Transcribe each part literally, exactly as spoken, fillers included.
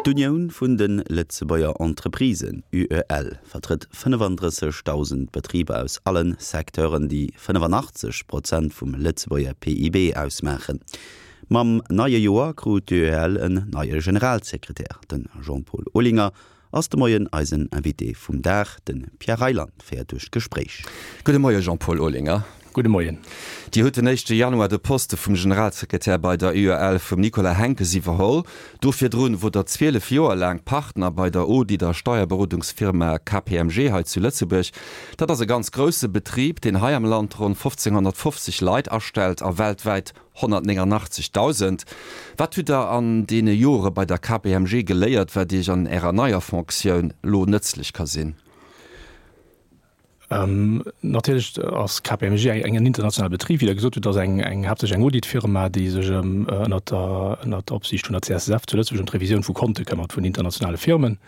D'Unioun vun de Lëtzebuerger Entreprisen, UEL, vertrëtt fënnefandrëssegdausend Betriber aus alle Secteuren, déi fënnefanachtzeeg Prozent vum Lëtzebuerger P I B ausmaachen. Mam neie Joer krut d'UEL en neie Generalsekretär. De Jean-Paul Olinger ass de Moien eisen Invité vum Dag. De Pierre Reyland féiert duerch d'Gespréich. Gudde Moie Jean-Paul Olinger. Gudde Moien. Dir hutt den éischte Januar de Poste vum Generalsekretär bei der U E L vum Nicolas Henckes iwwerholl. Do virdrun wor der zwielef Joer laang Partner bei der Audit a Steierberodungsfirma K P M G hei zu Lëtzebuerg. Dat ass e ganz grousse Betrib, deen hei am Land ronn fofzénghonnertfofzeg Leit astellt a weltwäit honnertnénganachtzeghdausend. Wat hutt der an deene Jore bei der K P M G geléiert, wat Iech an Ärer neier Fonctioun lo nëtzlech ka sinn? Ähm, natierlech ass K P M G eng en internationale Betrib, wéi Der gesot hutt, ass eng eng haaptsächlech eng Auditfirma, déi sech ëm ënnert der ënnert der Opsiicht vun der C S S F zu Lëtzebuerg ëm d'Revisioun vu Konte këmmert vun internationale Firmen.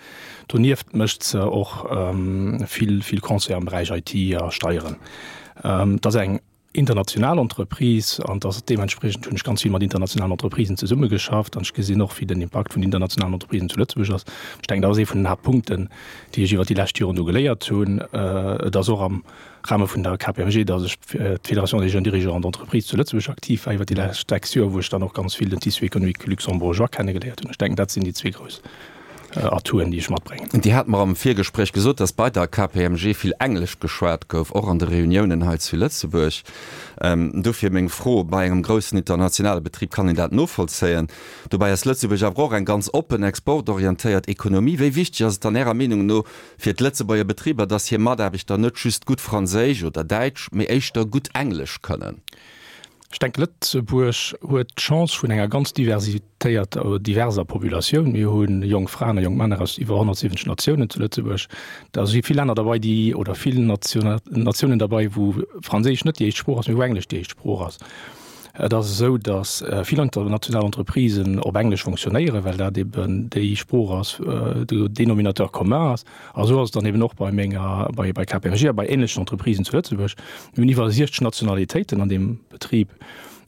Donieft mécht se och ähm, vill vill Conseil am Beräich I T a Steieren. Ähm, dat ass eng international Entreprise an dat deementspriechend hunn ech ganz vill mat internationalen Entreprisen zesummegeschafft an ech gesinn och, wéi den Impakt vun internationalen Entreprisen zu Lëtzebuerg ass. Ech denken, dat ass ee vun den Haaptpunkten, déi ech iwwer déi lescht Joren do geléiert hunn. Äh, et ass och am Rahme vun der K P M G, datt ech fir d'Fédération des jeunes dirigeants d'entreprise zu Lëtzebuerg aktiv war iwwer déi lescht sechs Joer, wou ech dann och ganz vill den Tissu économique luxembourgeois kennegeléiert hunn. Ech denken, dat sinn déi zwee grouss Atouen, déi ech matbréngen. Dir hat mer am Virgespréich gesot, datt bei der K P M G vill Englesch geschwat gouf, och an de Reuniounen hei zu Lëtzebuerg. Dofir meng Fro, Bei engem groussen internationale Betrib kann een dat novollzéien. Dobäi ass Lëtzebuerg awer och eng ganz oppen, exportorientéiert Ekonomie. Wéi wichteg ass et dann Ärer Meenung no fir d'Lëtzebuerger Betriber, datt hir Mataarbechter net just gutt Franséisch oder Däitsch, mee éischter gutt Englesch kënnen? Ech denken, Lëtzebuerg huet d'Chance vun enger ganz diversitéierter oder diverser Populatioun. Mir hu jonk Fraen a jonk Männer aus iwwer honnertsiwwenzeg Natiounen zu Lëtzebuerg. Da si vill Länner derbäi, déi, oder vill Natiounen derbäi, wou Franséisch net déi éischt Sprooch ass, mee wou Englesch déi éischt Sprooch ass. Et ass esou, datt vill international Entreprisen op Englesch fonctionnéieren, well dat eben déi Sprooch ass, de Dénominateur commun ass. A sou ass et dann eben och bei menger, bei, bei K P M G a bei ähnlechen Entreprisen zu Lëtzebuerg. Mir hunn iwwer siechzeg Nationalitéiten an deem Betrib.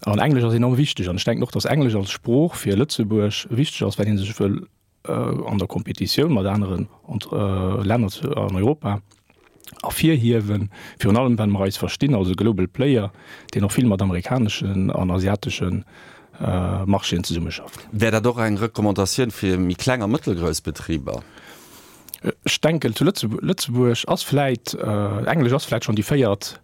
An Englesch ass enorm wichteg. An ech denken och, datt Englesch als Sprooch fir Lëtzebuerg wichteg ass, well ee sech wëll an der Kompetitioun mat aneren Länner an Europa ervirhiewen, virun allem well mer eis verstinn als e Global Player, deen och vill mat amerikaneschen an asiateschen Marchéen zesummeschafft. Wär dat och eng Recommandatioun fir méi kleng a mëttelgrouss Betriber? Ech denken, zu Lëtzebuerg ass vläit, Englesch ass vläit schonn déi véiert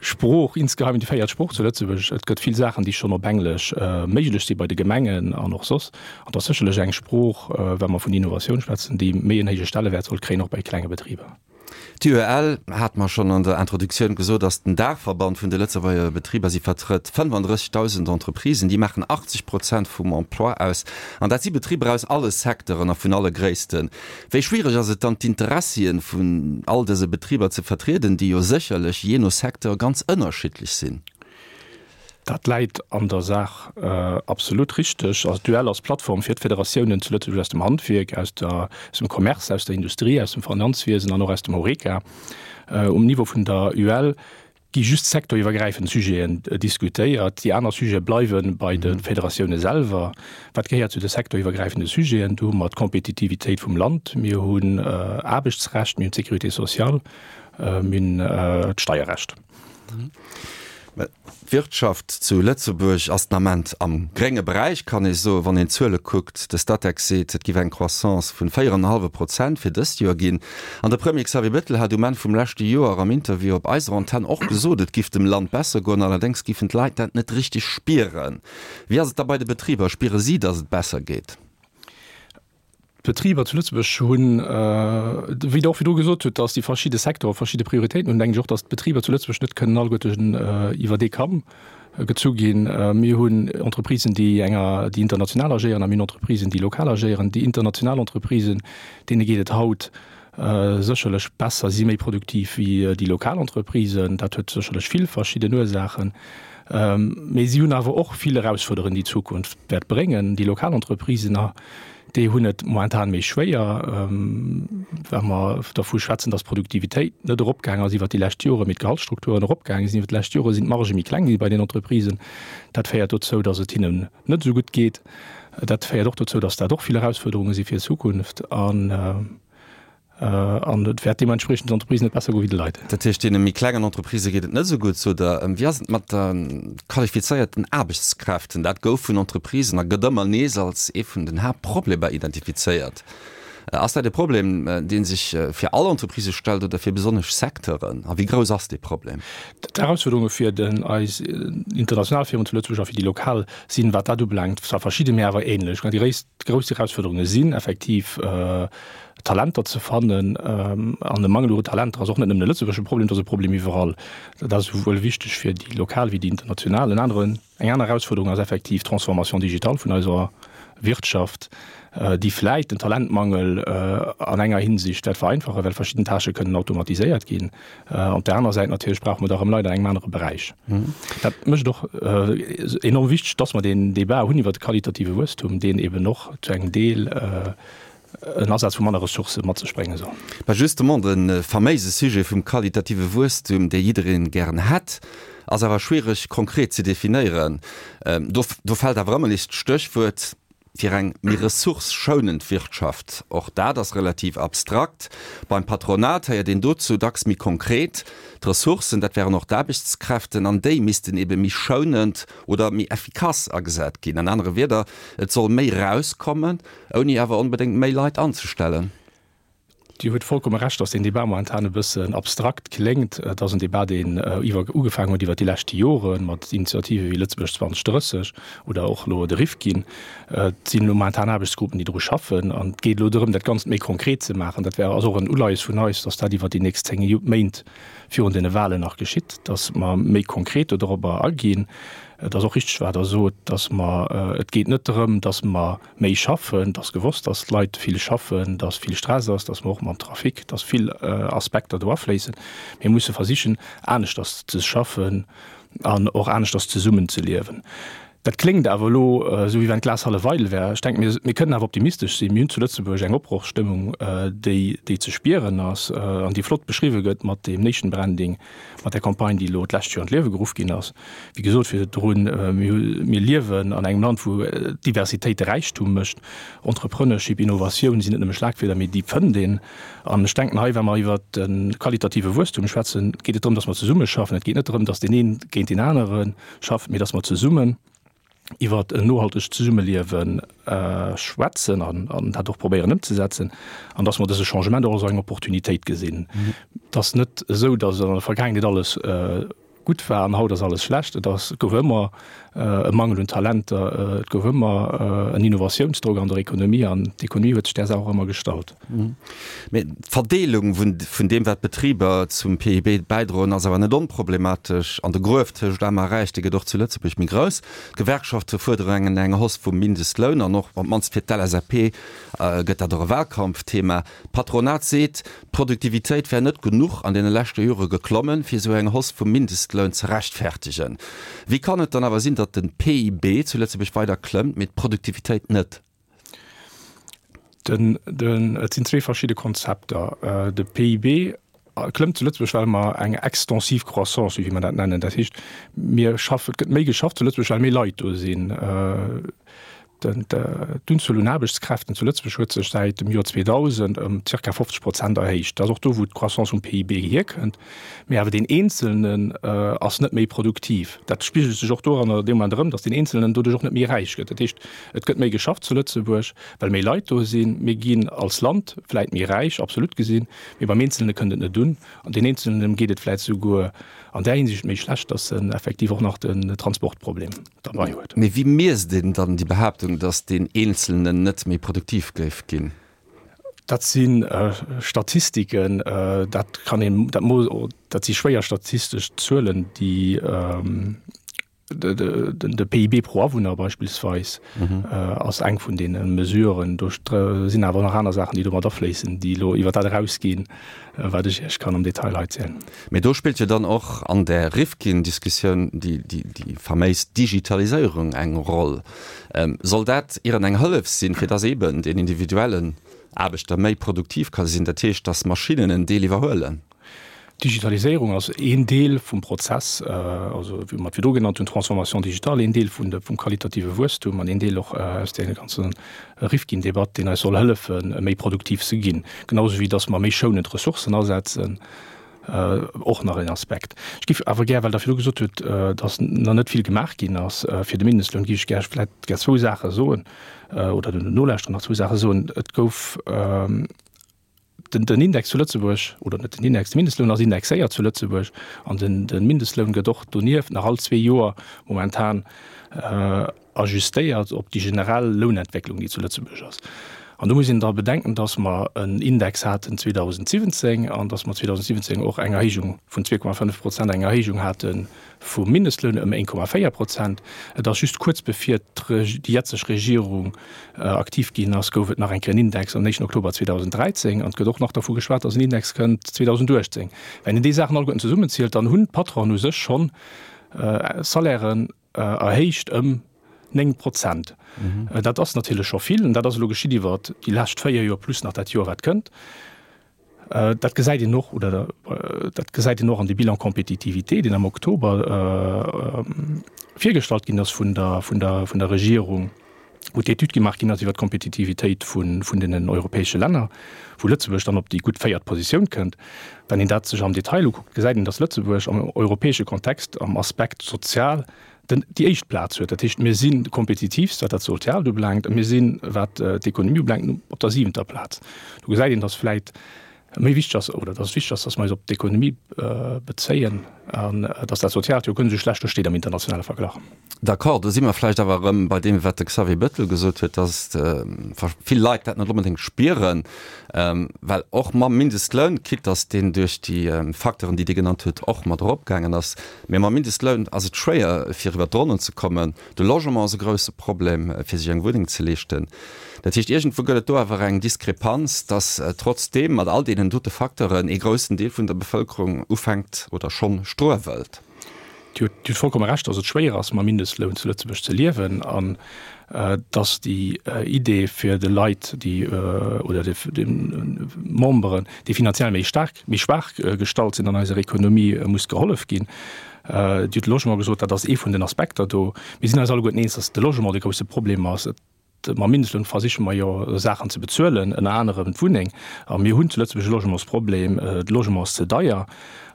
Sprooch, insgeheim déi véiert Sprooch zu Lëtzebuerg. Et gëtt vill Saachen, déi schonn op Englesch méiglech si bei de Gemengen an och soss. An et ass sécherlech eng Sprooch, wa mer vun Innovatioun schwätzen, déi méi en héije Stellewäert sollt kréien, och bei klenge Betriber. D'U E L, hat mer schonn an der Introduktioun gesot, ass den Daachverband vun de Lëtzebuerger Betriber. Si vertrëtt fënnefandrëssegdausend Entreprisen, déi maachen achtzeg Prozent vum Emploi aus. An dat si Betriber aus alle Secteuren a vun alle Gréissten. Wéi schwiereg ass et dann, d'Interessien vun all dëse Betriber ze vertrieden, déi jo sécherlech jee no Secteur ganz ënnerschiddlech sinn? Dat läit an der Saach absolut richteg. Also d'U E L ass Plattform fir d'Federatiounen zu Lëtzebuerg aus dem Handwierk, aus der, aus dem Commerce, aus der Industrie, aus dem Finanzwiesen an och aus dem Horeca. Um Niveau vun der U E L gi just sektoriwwergräifend Sujeten diskutéiert. Déi aner Sujete bleiwe bei de Federatioune selwer. Wat gehéiert zu de sektoriwwergräifende Sujeten? Do hu mer d'Kompetitivitéit vum Land, mir hunn Aarbechtsrecht, mir hunn d'Sécurité sociale, mir hunn d'Steierrecht. D'Wirtschaft zu Lëtzebuerg ass den Ament am grénge Beräich, kann ee soen, wann een d'Zuele kuckt. De Statec seet, et géif eng Croissance vun véier an e hallwe Prozent fir dëst Joer ginn. An de Premier Xavier Bettel hat um Enn vum leschte Joer am Interview op eiser Antenn och gesot, et giff dem Land besser goen, allerdéngs giffen d'Leit dat net richteg spieren. Wéi ass et da bei de Betriber, spiere si, datt et besser geet? D'Betriber zu Lëtzebuerg hunn, wéi Der och virdru gesot hutt, datt déi verschidde Secteure verschidde Prioritéiten hunn, denken ech och, datt d'Betriber zu Lëtzebuerg net kënnen alleguerten iwwer ee Kamm gezu ginn. Mir hunn Entreprisen, déi enger, déi international agéieren a mir hunn Entreprisen, déi lokal agéieren. Déi international Entreprisen, deene geet et haut sécherlech besser, si méi produktiv wéi déi lokal Entreprisen. Dat huet sécherlech vill verschidden Ursaachen. Mee si hunn awer och vill Erausfuerderungen, déi d'Zukunft wäert bréngen. Déi lokal Entreprisen, Déi hunn et momentan méi schwéier, wa mer dervu schwätzen, dass d'Produktivitéit net eropgaangen ass iwwert déi lescht Joren, mee d'Gehaltsstrukturen eropgaange sinn iwwert déi lescht Joren, sinn d'Margë méi kleng gi bei den Entreprisen. Dat féiert dozou, dass et hinnen net esou gutt geet. Dat féiert och dozou, dass dat och vill Erausfuerderunge si fir d'Zukunft. An An et wäert deementspriechend den Entreprisen net besser goe wéi de Leit. Dat heescht, deene méi klengen Entreprisë geet et net esou gutt, sot Der. Wéi ass et mat de qualifizéierten Aarbechtskräften? Dat gouf vun Entreprisen a gëtt ëmmer nees als ee vun den Haaptproblemer identifizéiert. Ass dat e Problem, dee sech fir all Entreprisë stellt oder fir besonnesch Secteuren? A wéi grouss ass dee Problem? D'Erausfuerderunge fir eis international Firmen zu Lëtzebuerg a fir déi lokal sinn, wat dat ubelaangt, zwar verschidden, mee awer änlech. Déi grouss Erausfuerderunge sinn effektiv, Talenter ze fannen. An e Mangel u Talenter ass och net nëmmen e lëtzebuergesche Problem, et ass e Problem iwwerall. Dat ass esouwuel wichteg fir déi lokal wéi déi international. En aneren, eng aner Erausfuerderung ass effektiv d'Transformation digitale vun eiser Wirtschaft, déi vläit den Talentmangel an enger Hinsicht wäert vereinfachen, well verschidden Tâchë kënnen automatiséiert ginn. Op där aner Säit natierlech brauche mer da erëm Leit an engem anere Beräich. Dat mécht et och enorm wichteg, dass mer deen Débat hunn iwwert de qualitative Wuesstum, deen eben och zu engem Deel en Asaz vu manner Ressourcë mat sech brénge soll. Mä justement, de faméise Sujet vum qualitative Wuesstum, dee jidderee gären hätt, ass awer schwiereg konkret ze definéieren. Do do fält awer ëmmer nees d'Stéchwuert fir eng méi ressourcëschounend Wirtschaft. Och dat ass relativ abstrakt. Beim Patronat héiert een dozou dacks méi konkret, D'Ressourcen, dat wären och d'Aarbechtskräften, an déi missten ebe méi schounend oder méi effikass agesat ginn. An anere Wierder, et soll méi erauskommen, ouni awer onbedéngt méi Leit anzestellen. Dir hutt vollkomme Recht, dass deen Débat momentan e bëssen abstrakt kléngt. Et ass en Débat, deen iwwer ugefaangen huet iwwert déi leschte Jore mat Initiative wéi Lëtzebuerg zweitausend drësseg oder och elo de Rifkin. Et sinn elo momentan Aarbechtsgruppen, déi dru schaffen. An et geet elo drëm, dat Ganzt méi konkret ze maachen. Dat wär ass och en Uleies vun eis, dass dat iwwert déi nächst zéng Méint virun deene Wahlen nach geschitt, dass mer méi konkret do dorobber aginn. Et ass och richtig, wat Der sot, dass mer, et geet net drëm, dass mer méi schaffen. Et ass gewosst, dass d'Leit vill schaffen, dass vill Stress ass, dass mer och mam Trafic, dass vill Aspekter do afléissen. Mir musse versichen, aneschters ze schaffen an och aneschters zesummenzeliewen. Dat kléngt awer elo esou, wéi wann d'Glas hallef eidel wär. Ech denken, mir, mir kënnen awer optimistesch sinn. Mir hunn zu Lëtzebuerg eng Opbrochstëmmung, déi, déi ze spieren ass an déi flott beschriwwe gëtt mat deem Nation Branding, mat där Campagne, déi elo d'lescht Joer an d'Liewe geruff ginn ass. Wéi gesot virdrun, mir hu, mir liewen an engem Land, wou d'Diversitéit de Räichtum mécht. Entrepreneurship, Innovatioun sinn net nëmme Schlagwierder, mee déi fënnt een. An ech denken hei, wa mer iwwert de qualitative Wuesstum schwätzen, geet et drëm, dass mer zesummeschaffen. Et geet net drëm, dass deen een géint deen anere schafft, mee dass mer zesummen iwwert en nohaltegt Zesummeliewe schwätzen an dat och probéieren ëmzesetzen an dass mer dëse Changement och als eng Opportunitéit gesinn. Et ass net esou, dass an der Vergaangenheet alles gutt war an haut ass alles schlecht. Et ass, et gouf ëmmer e Mangel un Talenter, et gouf ëmmer en Innovatiounsdrock an der Ekonomie an d'Ekonomie huet sech där Saach och ëmmer gestallt. Mee d'Verdeelung vun deem, wat d'Betriber zum P I B bäidroen, ass awer net onproblematesch. An de Gruef tëscht Aarm a Räich, dee gëtt och zu Lëtzebuerg méi grouss. D'Gewerkschafte fuerderen eng Hausse vum Mindestloun an och op d'mannst fir d'L S A P gëtt dat och e Wahlkampfthema. D'Patronat seet, d'Produktivitéit wär net genuch an deene leschte Jore geklommen, fir esou eng Hausse vum Mindestloun ze rechtfertegen. Wéi kann et dann awer sinn, datt de P I B zu Lëtzebuerg weider klëmmt, mee d'Produktivitéit net? Den, den, et sinn zwee verschidde Konzepter. De P I B klëmmt zu Lëtzebuerg, well mer eng extensive Croissance, wéi mer dat nennen, dat heescht, mir schaffen, et gëtt méi geschafft zu Lëtzebuerg, well méi Leit do sinn. D'Unzuel un Aarbechtskräften zu Lëtzebuerg huet sech säit dem Joer zweedausend ëm zirka fofzeg Prozent erhéicht. Dat ass och do, wou d'Croissance vum P I B hierkënnt. Mee awer deen Eenzelnen ass net méi produktiv. Dat spigelt sech och doranner dee Moment erëm, datt deen Eenzelnen doduerch och net méi räich gëtt. Dat heescht, et gëtt méi geschafft zu Lëtzebuerg, well méi Leit do sinn. Mir ginn als Land vläit méi räich, absolut gesinn, mee beim Eenzelne kënnt et net un. An deen Eenzelnen, deem geet et vläit souguer an där Hinsicht méi schlecht, datt en effektiv och nach den Transportproblem derbei huet. Mee wéi miesst een dann déi Behaaptung, datt deen Eenzelnen net méi produktiv géif ginn? Dat si Statistiken, dat kann een, dat dat si schwéier statistesch Zuelen, déi De P I B pro Awunner beispillsweis ass eng vun deene Mesuren. Do sinn awer nach aner Saachen, déi do mat afléissen, déi elo iwwer dat erausginn, wat ech Iech kann am Detail hei zielen. Mee do spillt jo dann och an där Rifkin-Diskussioun déi faméis Digitaliséierung eng Roll. Soll dat ieren eng Hëllef sinn, fir dass eeben deen individuellen Aarbechter méi produktiv ka sinn, dat heescht, dass Maschinnen en Deel iwwerhuelen? D'Digitaliséierung ass een Deel vum Prozess, also wéi mer et virdru genannt hunn, Transformation digitale, een Deel vun vum qualitative Wuesstum an een Deel och aus deene ganze Rifkin-Debatt, deen eis soll hëllefen, méi produktiv ze ginn, genau esou wéi dass mer méi schounend Ressourcen asetzen, och nach een Aspekt. Ech géif awer gär, well Der virdru gesot hutt, dass nach net vill gemaach ginn ass fir de Mindestloun, géif ech gär vläicht gär zwou Saache soen oder den Nolauschterer nach zwou Saache soen. Et gouf den Index zu Lëtzebuerg, oder net den Index, de Mindestloun ass indexéiert zu Lëtzebuerg an de Mindestloun gëtt och donieft nach all zwee Joer momentan ajustéiert op déi generell Lounentwécklung, déi zu Lëtzebuerg ass. An do muss een da bedenken, dass mer en Index haten zweedausendsiwwenzéng an dass mer zweedausendsiwwenzéng och eng Erhéijung vun zwee Komma fënnef Prozent, eng Erhéijung hate vum Mindestloun ëm een Komma véier Prozent. Et ass just kuerz bevir déi jetzeg Regierung aktiv ginn ass, gouf et nach eng Kéier en Index am éischten Oktober zweedausendräizéng an et gëtt och nach dervu geschwat, dass en Index kënnt zweedausendachtzéng. Wenn een déi Saachen alleguerten zesummenzielt, dann hunn d'Patronen u sech schonn Salairen erhéicht ëm néng Prozent. Dat ass natierlech scho vill an dat ass elo geschitt iwwer déi lescht véier Joer plus nach dat Joer, wat kënnt. Dat gesäit een och oder dat gesäit een och an dem Bilan compétitivité, deen am Oktober virgestallt ginn ass vun der, vun der, vun der Regierung, wou d'Etüd gemaach ginn ass iwwer d'Kompetitivitéit vun, vun deenen europäesche Länner, wou Lëtzebuerg dann op déi gutt véiert Positioun kënnt. Wann een dat sech am Detail ukuckt, gesäit een, dass Lëtzebuerg am europäesche Kontext am Aspekt sozial den, déi éischt Plaz huet. Dat heescht, mir si kompetitivst, wat dat Soziaalt ubelaangt, a mir sinn, wat d'Ekonomie ubelaangt, op der siwenter Plaz. Do gesäit een, dass vläit méi wichteg ass, oder dass et wichteg ass, dass mer eis op d'Ekonomie bezéien an dass dat Soziaalt jo guer net esou schlecht do steet am internationale Verglach. D'accord, do si mer vläicht awer erëm bei deem, wat de Xavier Bettel gesot huet, dass vill Leit dat net onbedéngt spieren, well och mam Mindestloun, quitte dass deen duerch déi Facteuren, déi Dir genannt hutt, och mat eropgaangen ass, mee mam Mindestloun ass et schwéier, fir iwwert d'Ronnen ze kommen. De Logement ass e grouse Problem, fir sech eng Wunneng ze leeschten. Dat heescht, iergendwou gëtt et do awer eng Diskrepanz, dass trotzdeem mat all deenen dote Facteuren ee groussen Deel vun der Bevëlkerung ufänkt oder schonn struewelt. Dir hutt vollkomme Recht, dass et schwéier ass, mam Mindestloun zu Lëtzebuerg ze liewen an dass déi Idee fir de Leit, déi oder de Memberen, déi finanziell méi staark, méi schwaach gestallt sinn an eiser Ekonomie, muss gehollef ginn. Dir hutt de Logement gesot, dat ass ee vun den Aspekter do. Mir sinn eis alleguerten eens, dass de Logement de grousse Problem ass. Mam Mindestloun versiche mer jo Saachen ze bezuelen, ënner anerem d'Wunneng. A mir hunn zu Lëtzebuerg e Logementsproblem, de Logement ass ze deier.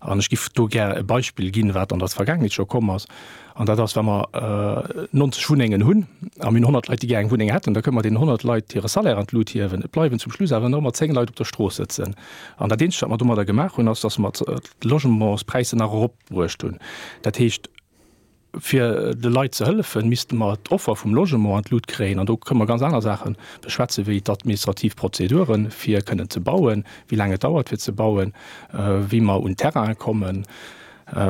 An ech giff do gär e Beispill ginn, wat an der Vergaangenheet scho komm ass, an dat ass, wa mer neunzeg Wunnengen hunn a mir hunn honnert Leit, déi gär eng Wunneng hätten, da kënne mer deenen honnert Leit hire Salaire an d'Lut hiewen. Et bleiwen zum Schluss awer nach ëmmer zéng Leit op der Strooss sëtzen. An dat Eenzegt, wat mer domadder gemaach hunn, ass, datt mer d'Logementspräisser nach eropbruecht hunn. Dat heescht, fir de Leit ze hëllefen, misste mer d'Offer vum Logement an d'Lut kréien. An do kënne mer ganz aner Saache beschwätzen, wéi d'administrativ Prozeduren, fir kënnen ze bauen, wéi laang et dauert, fir ze bauen, wéi mer un Terraine kommen,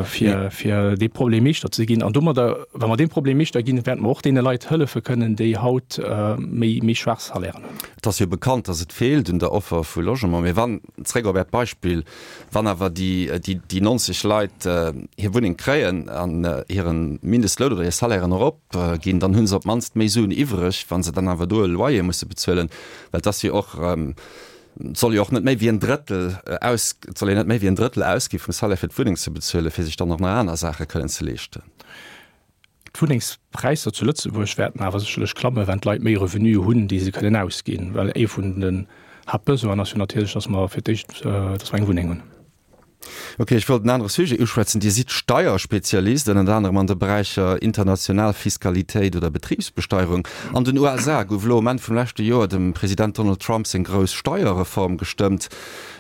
fir, fir dee Problem Meeschter ze ginn. An domadder, wa mer deem Problem Meeschter ginn, wäerte mer och deene Leit hëllefe kënnen, déi haut méi, méi schwaach Salairen hunn. Et ass jo bekannt, dass et feelt un der Offer vu Logement. Mee wann, zréck op Äert Beispill, wann awer déi, déi neunzeg Leit hir Wunneng kréien an hire Mindestloun oder hir Salairen eropginn, dann hu se op d'mannst méi Suen iwwreg, wa se dann awer do e Loyer musse bezuelen. Well et ass jo och, et soll jo och net méi wéi en Drëttel aus, et soll een net méi wéi en Drëttel ausgi vum Salaire fir d'Wunneng ze bezuelen, fir sech dann och nach aner Saache kënnen ze leeschten. D'Wunnengspräisser zu Lëtzebuerg wäerten awer sécherlech klammen, wenn d'Leit méi Revenue hunn, déi se kënnen ausginn. Well ee vun den Haaptbesoinen ass jo natierlech, dass mer fir d'éischt, dass mer eng Wunneng hunn. Ok, ech wollt en anere Sujet uschwätzen. Dir sidd Steierspezialist, ënnert anerem an de Beräicher international Fiskalitéit oder Betribsbesteierung. An den U S A gouf elo um Enn vum leschte Joer dem President Donald Trump seng grouss Steierreform gestëmmt.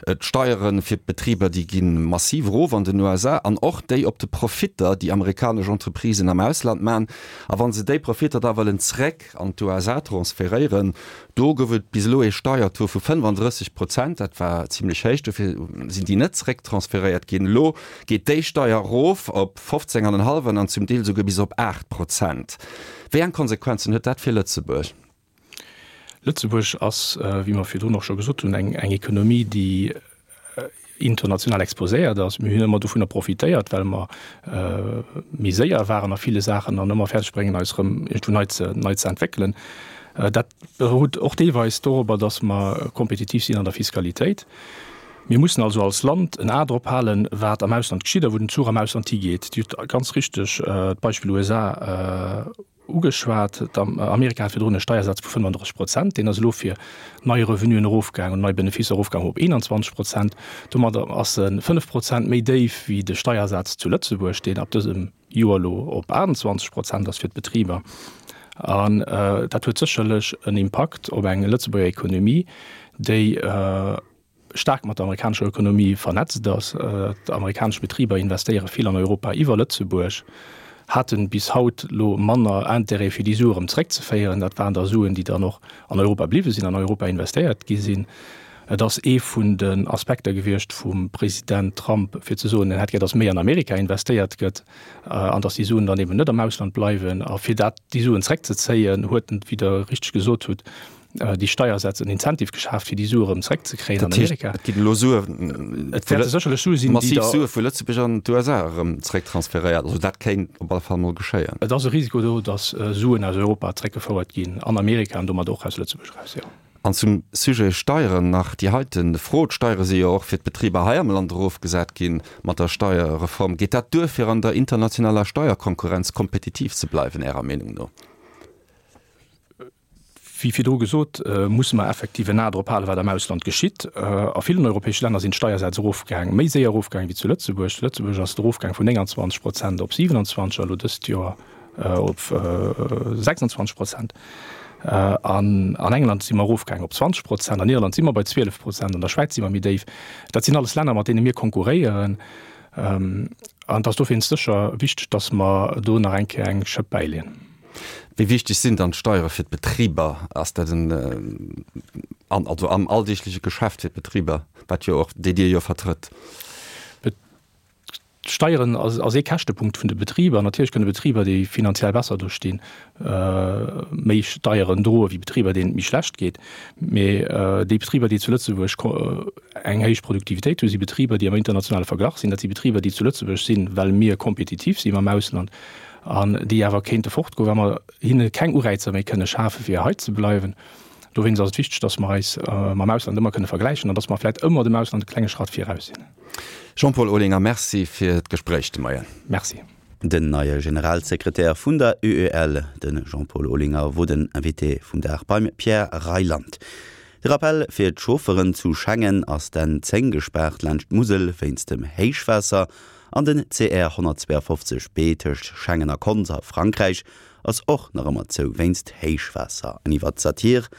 D'Steiere fir d'Betriber, déi gi massiv erof an den U S A an och déi op de Profitter, déi amerikanesch Entreprisen am Ausland man. A wa se déi Profitter da wëllen zréck an d'U S A transferéieren, do gouf et bis elo ee Steiertaux vu fënnefanddrësseg Prozent, dat war zimlech héich, dofir sinn déi net zréck transferéiert. zrécktransferéiert ginn. Elo geet déi Steier erof op fofzéng an en hallwen an zum Deel souguer bis op aacht Prozent. Wéi eng Konsequenzen huet dat fir Lëtzebuerg? Lëtzebuerg ass, wéi mer virdrun och scho gesot hunn, eng Ekonomie, déi international exposéiert ass. Mir hunn ëmmer dovunner profitéiert, well mer méi séier waren a ville Saachen an ëmmer fäerdeg bréngen, eis erëm iergendwou nei ze, nei ze entwéckelen. Dat berout och deelweis dorobber, datt mer kompetitiv sinn an der Fiskalitéit. Mir mussen also als Land en A drop halen, wat am Ausland geschitt a wou den Zuch am Ausland higeet. Dir hutt ganz richteg d'Beispill U S A ugeschwat. Amerika hat virdrun e Steiersaz vu fënnenddrësseg Prozent, deen ass elo fir nei Revenuen erofgaangen, nei Beneficer erofgaangen op eenanzwanzeg Prozent. Domadder ass e fënnef Prozent méi déif wéi de Steiersaz zu Lëtzebuerg, deen ab dësem Joer elo op aachtanzwanzeg Prozent ass fir d'Betriber. An dat huet sécherlech en Impakt op eng Lëtzebuerger Ekonomie, déi staark mat der amerikanescher Ökonomie vernetzt ass. D'amerikanesch Betriber investéiere vill an Europa iwwer Lëtzebuerg, hate bis haut elo manner Intérêt fir déi Sue erëm zréckzeféieren. Dat waren da Suen, déi dann och an Europa bliwwe sinn, an Europa investéiert gi sinn. Et ass ee vun den Aspekter gewiescht vum President Trump, fir ze soen, en hätt gär, datt méi an Amerika investéiert gëtt an datt déi Suen dann eben net am Ausland bleiwen. A fir dat, déi Suen zréckzezéien, huet en, wéi Der richteg gesot hutt, déi Steiersätz en Incentive geschaaft, fir déi Sue erëm zréckzekréien an Amerika. Et ginn elo Sue, Et wäerte sécherlech Sue sinn, déi massiv Sue vu Lëtzebuerg an d'U S A erëm zrécktransferéiert. Also dat kéint op alle Fall mol geschéien. Et ass e Risiko do, datt Suen aus Europa zréckgefouert ginn an Amerika an domat och aus Lëtzebuerg eraus, jo. An zum Sujet Steieren nach déi heiten Fro, D'Steiere si jo och fir d'Betriber hei am Land erofgesat gi mat der Steierreform. Geet dat duer, fir an der internationaler Steierkonkurrenz kompetitiv ze bleiwen, Ärer Meenung no? Wéi virdru gesot, musse mer effektiv en A drop halen, wat am Ausland geschitt. A villen europäesche Länner sinn d'Steiersätz erofgaang, méi séier erofgaang wéi zu Lëtzebuerg. Zu Lëtzebuerg ass et erofgaang vun nénganzwanzeg Prozent op siewenundzwanzeg a lo dëst Joer op sechsundzwanzeg Prozent. An an England si mer erofgaang op zwanzeg Prozent, an Irland si mer bei zwielef Prozent, an der Schwäiz si mer méi déif. Dat sinn alles Länner, mat deene mir konkurréieren. An et ass dowéinst sécher wichteg, datt mer do nach eng Kéier eng Schëpp bäileeën. Wéi wichteg sinn dann d'Steiere fir d'Betriber? Ass dat en, an, also am alldeegleche Geschäft fir d'Betriber, wat jo och, déi Dir jo vertrëtt? D'Steieren ass, ass ee Käschtepunkt vun de Betriber. Natierlech kënne Betriber, déi finanziell besser do stinn, méi Steieren droe wéi Betriber, deenen et méi schlecht geet. Mee déi Betriber, déi zu Lëtzebuerg eng héich Produktivitéit hunn, si Betriber, déi am internationale Verglach sinn. Dat si Betriber, déi zu Lëtzebuerg sinn, well mir kompetitiv si mam Ausland an déi awer kéinte fortgoen, wa mer hinne keng Ureizer méi kënne schafen, fir hei ze bleiwen. Dowéinst ass et wichteg, dass mer eis mam Ausland ëmmer kënne vergläichen an dass mer vläicht ëmmer dem Ausland e klenge Schratt viraus sinn. Jean-Paul Olinger, Merci fir d'Gespréich de Moien. Merci. Den neie Generalsekretär vun der U E L, de Jean-Paul Olinger, wor den Invité vum Dag beim Pierre Reyland. De Rappell fir d'Chaufferen, Zu Schengen ass d'N zéng gespaart laanscht d'Musel wéinst dem Héichwaasser an den C R honnertzweeafofzeg B tëscht Schengen a Konz a Frankräich ass och nach ëmmer zou wéinst Héichwaasser. An iwwer d'Satir